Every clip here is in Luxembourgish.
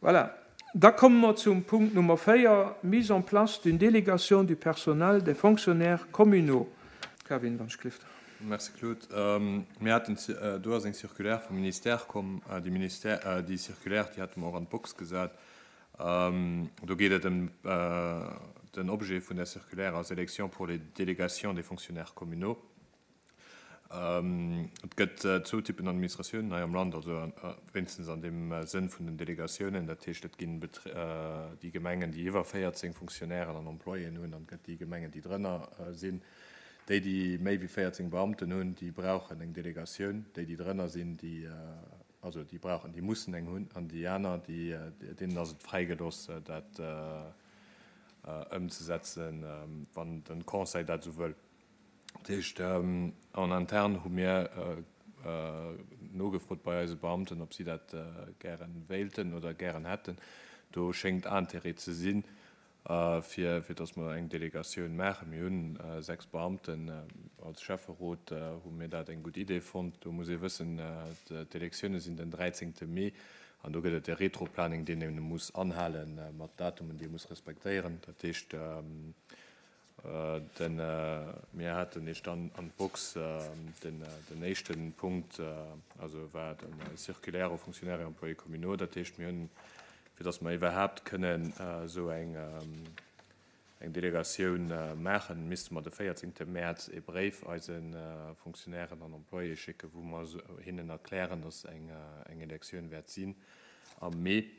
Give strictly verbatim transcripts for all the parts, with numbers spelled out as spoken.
Voilà. Da komme mer zum Punkt Nummer véier, Mise en place d'une délégation du personnel des fonctionnaires communaux. Kevin, wann ech gelift. Merci Claude. Mir haten, do ass eng Circulaire vum Ministère komm. Déi Ministère, déi Circulaire, déi hate mer och an d'Box gesat. Do geet et ëm den Objet vun der Circulaire ass Élection pour les délégations des fonctionnaires communaux. Et gëtt zwou Typen Administratiounen hei am Land, also wéinstens an deem Sënn vun den Delegatiounen. Dat heescht, et ginn déi Gemengen, déi iwwer véierzéng Fonctionnairen an Employéen hunn, an et gëtt déi Gemengen, déi drënner sinn. Déi, déi méi wéi véierzéng Beamten hunn, déi brauchen eng Delegatioun. Déi, déi drënner sinn, déi, also déi brauchen, déi mussen eng hunn. An déi aner, déi, deenen ass et fräigelooss, dat ëmzesetzen, wann de Conseil dat esou wëll. Dat heescht, en interne hu mir nogefrot bei eise Beamten, ob si dat gäre wéilten oder gären hätten. Do schéngt Intérêt ze sinn, fir fir datt mer eng Delegatioun maachen. Mir hunn sechs Beamten. Als Schäfferot hu mir dat eng gutt Idee fonnt. Do muss ee wëssen, d'Elektioune sinn den dräizéngte Mee an do gëtt et e Retroplaning, deen ee muss anhale mat Datumen, déi ee muss respektéieren. Dat heescht, Den, mir haten Iech dann an d'Box den, den éischte Punkt, also war den Circulaire aux fonctionnaires et employés communaux. Dat heescht, mir hunn, fir datt mer iwwerhaapt kënnen esou eng, eng Delegatioun maachen, misste mer de véierzéngte Mäerz ee Bréif eise Fonctionnairen an Employéë schécken, wou mer hinnen erklären, datt eng, eng Elektioun wäert sinn am Mee.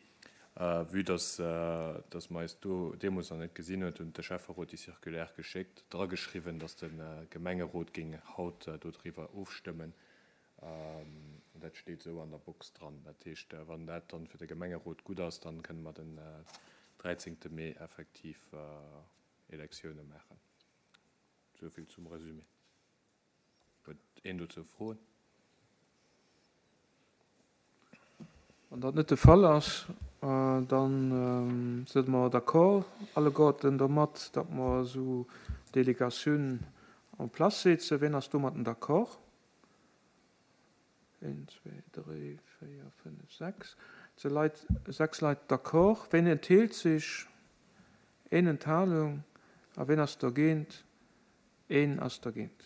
Vue dass dass mer eis do deemools nach net gesinn huet, hunn de Schäfferot déi Circulaire geschéckt, drageschriwwen, dass de Gemengerot géing haut dodriwwer ofstëmmen. Dat steet esou an der Box dran. Dat heescht, wann dat dann fir de Gemengerot gutt ass, dann kënne mer den dräizéngte Mee effektiv Elektioune maachen. Esou vill zum Resumé. Huet een dozou Froen? Wann dat net de Fall ass, da si mer d'accord alleguerten domat, datt mer esou Delegatioun en place setzen. Wien ass domatten d'accord? Een, zwee, dräi, véier, fënnef, sechs. Et si Leit, sechs Leit d'accord. Wien enthält sech? Een Enthalung. A wien ass dergéint? Een ass dergéint.